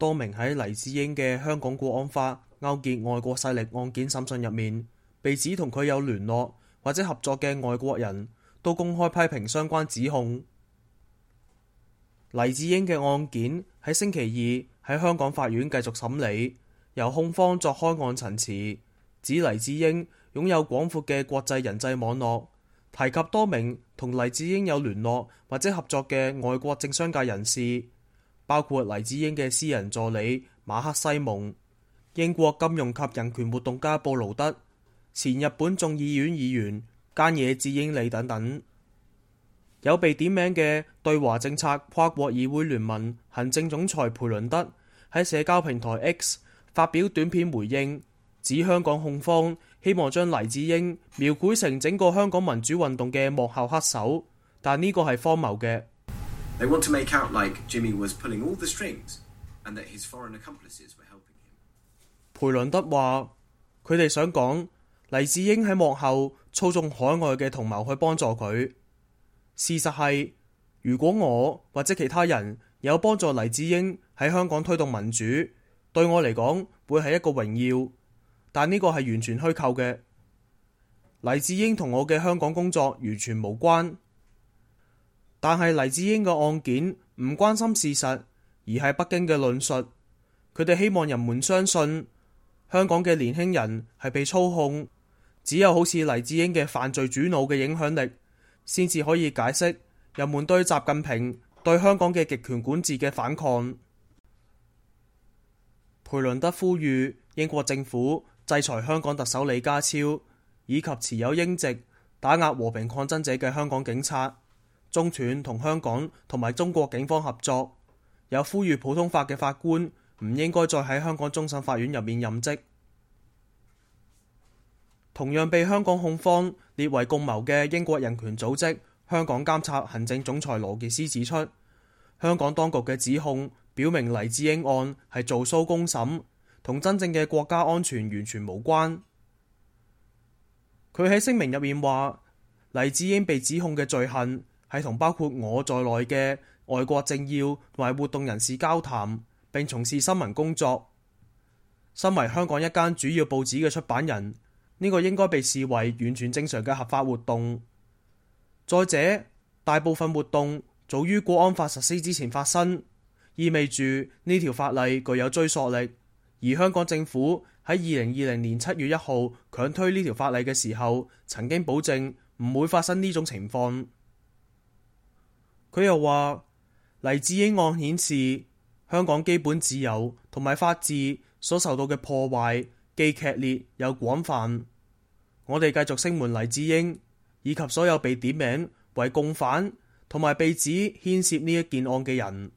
多名喺黎智英嘅香港國安法勾結外國勢力案件審訊入面，被指同佢有聯絡或者合作嘅外國人都公開批評相關指控。黎智英嘅案件喺星期二喺香港法院繼續審理，由控方作開案陳詞，指黎智英擁有廣闊嘅國際人際網絡，提及多名同黎智英有聯絡或者合作嘅外國政商界人士，包括黎智英嘅私人助理馬克西蒙、英國金融及人權活動家布勞德、前日本眾議院議員菅野智英利等等。有被點名嘅對華政策跨國議會聯盟行政總裁培倫德喺社交平台 X 發表短片回應，指香港控方希望將黎智英描繪成整個香港民主運動嘅幕後黑手，但呢個係荒謬嘅。They want to make out like Jimmy was pulling all the strings and that his foreign accomplices were helping him. 培倫德話：佢哋想講黎智英喺幕後操縱海外嘅同謀去幫助佢。事實係，如果我或者其他人有幫助黎智英喺香港推動民主，對我嚟講會係一個榮耀，但呢個係完全虛構嘅。黎智英同我嘅香港工作完全無關。但係黎智英嘅案件唔關心事實，而係北京嘅論述。佢哋希望人們相信香港嘅年輕人係被操控，只有好似黎智英嘅犯罪主腦嘅影響力，先至可以解釋人們對習近平對香港嘅極權管治嘅反抗。培倫德呼籲英國政府制裁香港特首李家超，以及持有英籍打壓和平抗爭者嘅香港警察，中斷同香港同埋中國警方合作，有呼籲普通法嘅法官唔應該再喺香港終審法院入面任職。同樣被香港控方列為共謀嘅英國人權組織香港監察行政總裁羅傑斯指出，香港當局嘅指控表明黎智英案係做騷公審，同真正嘅國家安全完全無關。佢喺聲明入面話，黎智英被指控嘅罪行係同包括我在內嘅外國政要同埋活動人士交談，並從事新聞工作。身為香港一間主要報紙嘅出版人，呢個應該被視為完全正常嘅合法活動。再者，大部分活動早於國安法實施之前發生，意味住呢條法例具有追溯力。而香港政府喺2020年7月1號強推呢條法例嘅時候，曾經保證唔會發生呢種情況。佢又話，黎智英案顯示香港基本自由同埋法治所受到嘅破壞既劇烈又廣泛。我哋繼續聲援黎智英以及所有被點名為共犯同埋被指牽涉呢一件案嘅人。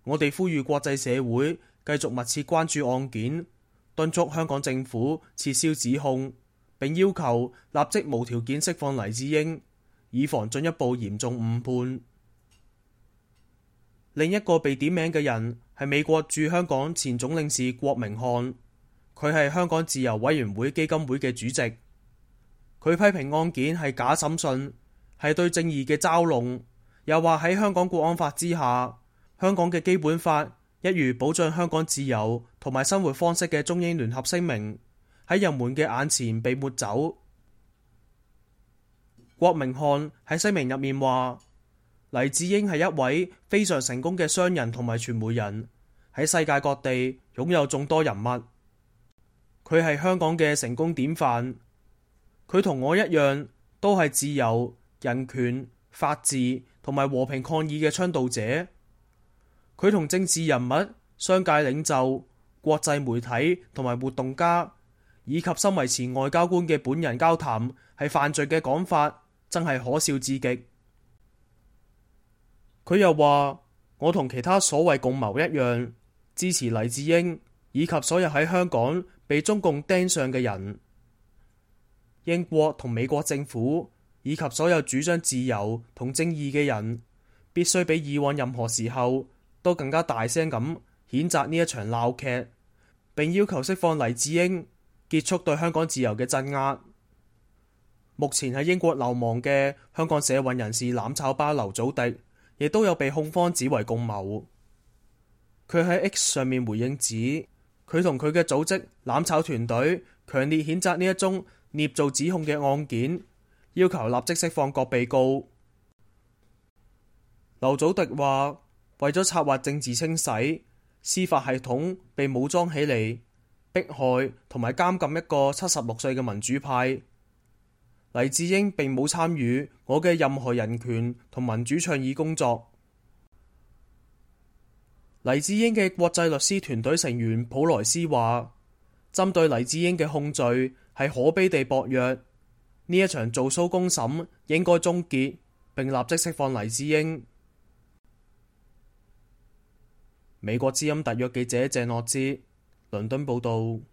我哋呼籲國際社會繼續密切關注案件，敦促香港政府撤銷指控，並要求立即無條件釋放黎智英，以防進一步嚴重誤判。另一個被點名嘅人係美國駐香港前總領事郭明漢，佢係香港自由委員會基金會嘅主席。佢批評案件係假審訊，係對正義嘅嘲弄，又話喺香港國安法之下，香港嘅基本法一如保障香港自由同埋生活方式嘅中英聯合聲明喺人們嘅眼前被抹走。郭明漢喺聲明入面話，黎智英係一位非常成功嘅商人同埋傳媒人，喺世界各地擁有眾多人物。佢係香港嘅成功典範。佢同我一樣，都係自由、人權、法治同埋和平抗議嘅倡導者。佢同政治人物、商界領袖、國際媒體同埋活動家，以及身為前外交官嘅本人交談係犯罪嘅講法，真係可笑至極。佢又話，我同其他所謂共謀一樣，支持黎智英以及所有喺香港被中共盯上嘅人。英國同美國政府以及所有主張自由同正義嘅人，必須比以往任何時候都更加大聲咁譴責呢一場鬧劇，並要求釋放黎智英，結束對香港自由嘅鎮壓。目前喺英國流亡嘅香港社運人士攬炒巴劉祖迪，亦都有被控方指為共謀。佢喺 X 上面回應指，佢同佢嘅組織攬炒團隊強烈譴責呢一宗捏造指控嘅案件，要求立即釋放各被告。劉祖迪話，為咗策劃政治清洗，司法系統被武裝起嚟，迫害同埋監禁一個76歲嘅民主派。黎智英並冇參與我嘅任何人權同民主倡議工作。黎智英嘅國際律師團隊成員普萊斯話，針對黎智英嘅控罪係可悲地薄弱，呢一場做騷公審應該終結，並立即釋放黎智英。美國之音特約記者鄭諾之倫敦報道。